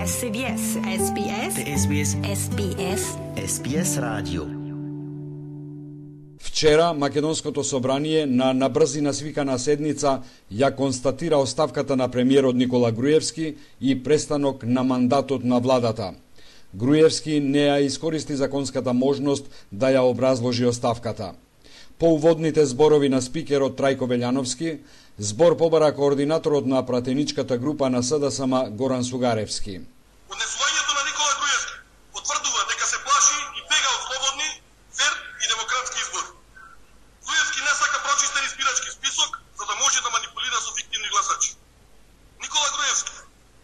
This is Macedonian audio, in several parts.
SBS. SBS. SBS. SBS. SBS радио. Вчера Македонското собрание на набрзина свикана седница ја констатира оставката на премиерот Никола Груевски и престанок на мандатот на владата. Груевски не ја искористи законската можност да ја образложи оставката. По уводните зборови на спикерот Трајко Велјановски, збор побара координаторот на пратеничката група на СДСМ Горан Сугаревски. Однесувањето на Никола Груевски потврдува дека се плаши и бега од слободни, фер и демократски избори. Груевски не сака прочистен избирачки список за да може да манипулира со фиктивни гласачи. Никола Груевски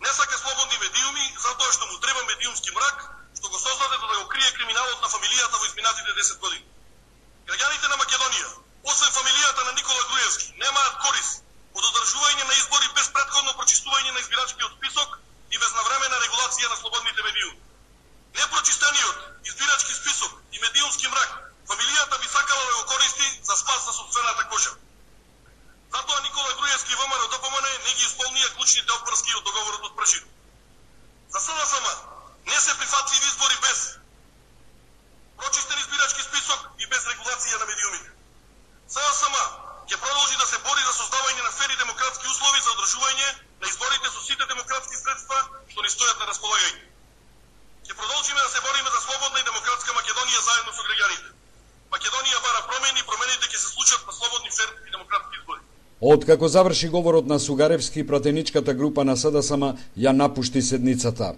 не сака слободни медиуми затоа што му треба медиумски мрак што го создаде за да го крие криминалот на фамилијата во изминатите 10 години. Граѓаните на Македонија, освен фамилијата на Никола Груевски, немаат корист од одржување на избори без претходно прочистување на избирачкиот список и безнавременна регулација на слободните медиуми. Непрочистениот избирачки список и медиумски мрак фамилијата би сакала да го користи за спас на сопствената кожа. Затоа Никола Груевски и ВМРО ДПМН не ги исполнија клучните опврски од договорот од Прашино. За СДСМ не се прифатливи избори без прочистен избирачки список и без регулација на медиумите. СДСМ ќе продолжи да се бори за создавање на фер и демократски услови за одржување на изборите со сите демократски средства што ни стојат на располагање. Ќе продолжиме да се бориме за слободна и демократска Македонија заедно со граѓаните. Македонија бара промени и промените ќе се случат на слободни, фер и демократски избори. Откако заврши говорот на Сугаревски, пратеничката група на СДСМ ја напушти седницата.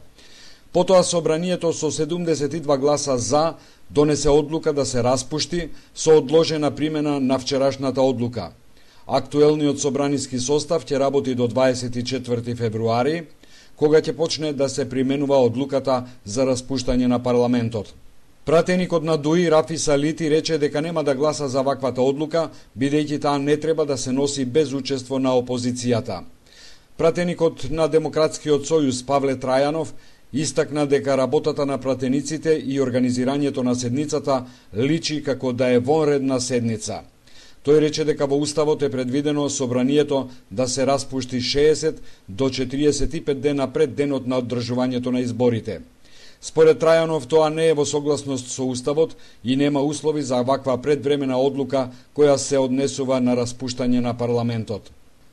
Потоа собранието со 72 гласа за донесе одлука да се распушти со одложена примена на вчерашната одлука. Актуелниот собраниски состав ќе работи до 24 февруари, кога ќе почне да се применува одлуката за распуштање на парламентот. Пратеникот на ДУИ Рафи Салити рече дека нема да гласа за ваквата одлука, бидејќи таа не треба да се носи без учество на опозицијата. Пратеникот на Демократскиот сојуз Павле Трајанов истакна дека работата на пратениците и организирањето на седницата личи како да е вонредна седница. Тој рече дека во Уставот е предвидено собранието да се распушти 60 до 45 дена пред денот на одржувањето на изборите. Според Трајанов тоа не е во согласност со Уставот и нема услови за ваква предвремена одлука која се однесува на распуштање на парламентот.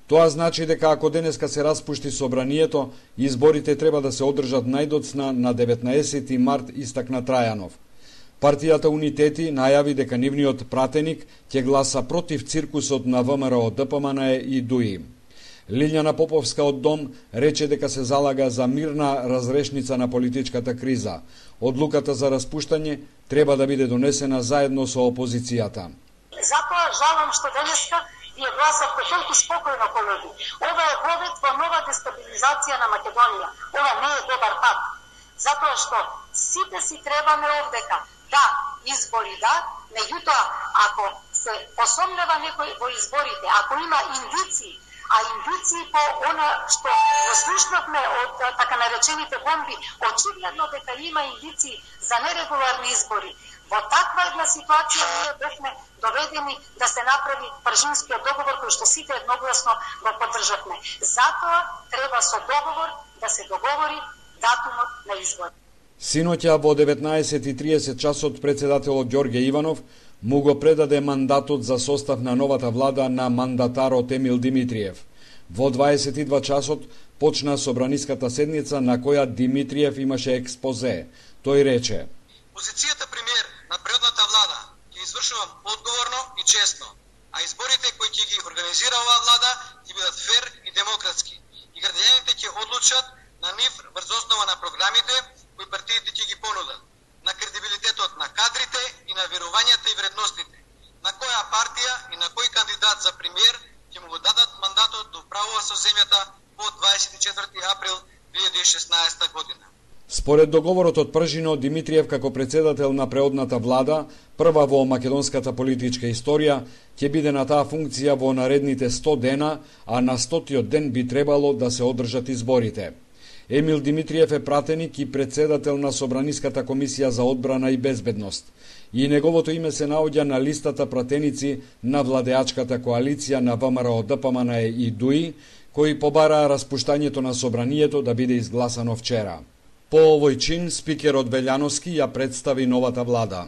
Тоа значи дека ако денеска се распушти собранието, изборите треба да се одржат најдоцна на 19 март, истакна Трајанов. Партијата Унитети најави дека нивниот пратеник ќе гласа против циркусот на ВМРО, ДПМН и ДУИ. Лилјана Поповска од Дом рече дека се залага за мирна разрешница на политичката криза. Одлуката за распуштање треба да биде донесена заедно со опозицијата. Затоа жалам што денеска вие гласавте толку спокојно, колеги. Ова е водет во нова дестабилизација на Македонија. Ова не е добар пат. Затоа што сите си требаме овдека. Да, избори да, меѓутоа, ако се посомнева некој во изборите, ако има индиции, а индиции по она што го слушнавме од така наречените бомби, очигледно дека има индиции за нерегуларни избори. Во таква една ситуација ние бевме доведени да се направи Пржинскиот договор кој што сите едногласно го поддржавме. Затоа треба со договор да се договори датумот на избор. Синоќа во 19:30 часот председателот Ѓорѓе Иванов му го предаде мандатот за состав на новата влада на мандатарот Емил Димитриев. Во 22 часот почна собраниската седница на која Димитриев имаше експозе. Тој рече: Позицијата премиер на предходната влада ќе извршува одговорно и честно, а изборите кои ќе ги организира оваа влада ќе бидат фер и демократски. И граѓаните ќе одлучат на нив врз основа на програмите кои партиите ќе ги понудат, на кредибилитетот на кадрите и на верувањата и вредностите, на која партија и на кој кандидат за премиер ќе му го дадат мандатот да управува со земјата по 24 април 2016 година. Според договорот од Пржино, Димитриев како председател на преодната влада, прва во македонската политичка историја, ќе биде на таа функција во наредните 100 дена, а на 100-тиот ден би требало да се одржат изборите. Емил Димитриев е пратеник и председател на Собраниската комисија за одбрана и безбедност. И неговото име се наоѓа на листата пратеници на владеачката коалиција на ВМРО, ДПМН и ДУИ, кои побараа распуштањето на собранието да биде изгласано вчера. По овој чин, спикерот Белјановски ја представи новата влада.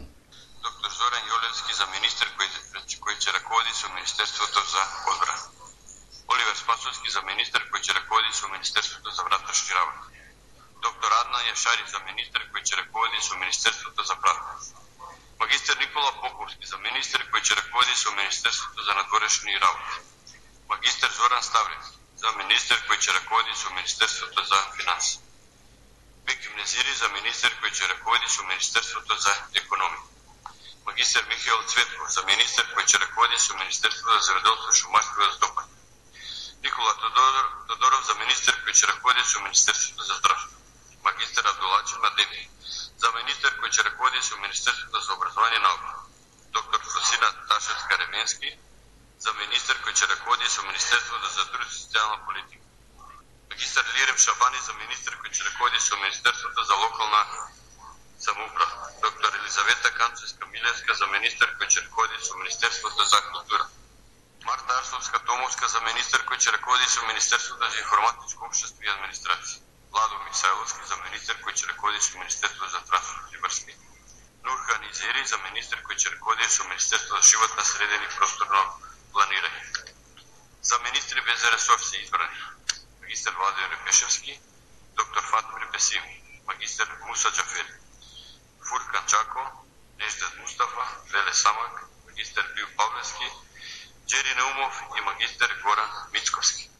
Доктор Зоран Јолевски за министер кој ќе раководи со Министерството за одбрана. Оливер Спасовски за министер кој ќе раководи со Министерството за внатрешни работи. Доктор Адна Јашари за министер кој ќе раководи со Министерството за правда. Магистер Никола Поповски за министер кој ќе раководи со Министерството за надворешни работи. Магистер Зоран Ставрев за министер кој ќе раководи со Министерството за финанси. Беким Незири за министер кој ќе раководи со Министерството за економија. Магистер Михаил Цветков за министер кој ќе раководи со Министерството за земјоделство, шумарство и стопанство. Никола Тодоров за министер кој ќе раководи со Министерството за здравство. Магистер Абдулачи Мадеви за министер кој ќе раководи со Министерството за образование и наука. Доктор Фросина Ташевска-Ременски за министер кој ќе раководи со Министерството за труд и социјална политика. Магистер Лирем Шабани за министер кој ќе раководи со Министерството за локална самоуправа. Доктор Елизавета Канчевска-Милевска за министер кој ќе раководи со Министерството за култура. Марта Арсовска-Томовска за министер кој ќе раководи со Министерството за информатичко општество и администрација. Владо Мисајловски за министер кој ќе раководи со Министерството за транспорт и врски. Нурхан Изери за министер кој ќе раководи со Министерството за животна средина и просторно планирање. За министри без ресор се избрани магистер Владимир Пешевски, доктор Фатмир Бесим, магистер Муса Џафери, Фуркан Чако, Неждет Мустафа, Веле Самак, магистер Бил Павлевски, Джери Наумов и магистер Горан Мицковски.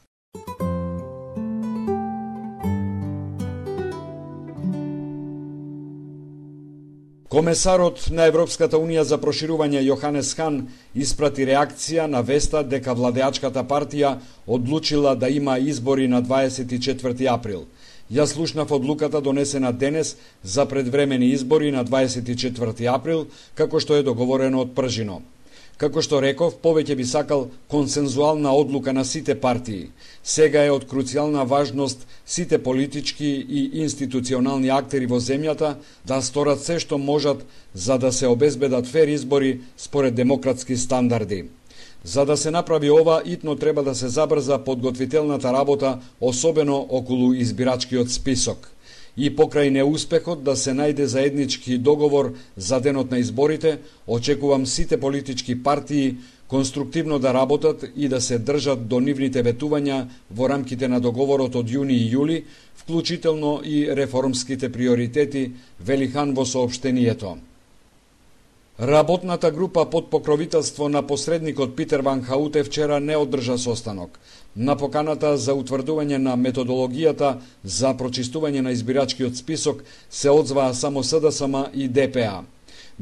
Комесарот на Европската Унија за проширување Јоханес Хан испрати реакција на веста дека владеачката партија одлучила да има избори на 24 април. Ја слушнав одлуката донесена денес за предвремени избори на 24 април, како што е договорено од пржино. Како што реков, повеќе би сакал консензуална одлука на сите партии. Сега е од круцијална важност сите политички и институционални актери во земјата да сторат се што можат за да се обезбедат фер избори според демократски стандарди. За да се направи ова, итно треба да се забрза подготвителната работа, особено околу избирачкиот список. И покрај неуспехот да се најде заеднички договор за денот на изборите, очекувам сите политички партии конструктивно да работат и да се држат до нивните ветувања во рамките на договорот од јуни и јули, вклучително и реформските приоритети, вели Хан во соопштението. Работната група под покровителство на посредникот Питер Ван Хауте вчера не одржа состанок. На поканата за утврдување на методологијата за прочистување на избирачкиот список се одзваа само СДСМ и ДПА.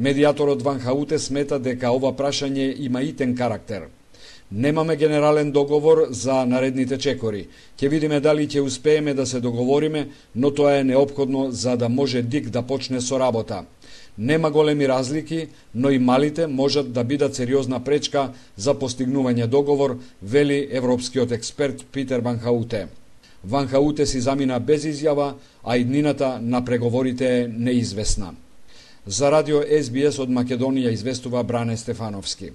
Медијаторот Ван Хауте смета дека ова прашање има итен карактер. Немаме генерален договор за наредните чекори. Ќе видиме дали ќе успееме да се договориме, но тоа е неопходно за да може ДИК да почне со работа. Нема големи разлики, но и малите можат да бидат сериозна пречка за постигнување договор, вели европскиот експерт Питер Ван Хауте. Ван Хауте си замина без изјава, а иднината на преговорите е неизвестна. За радио SBS од Македонија известува Бране Стефановски.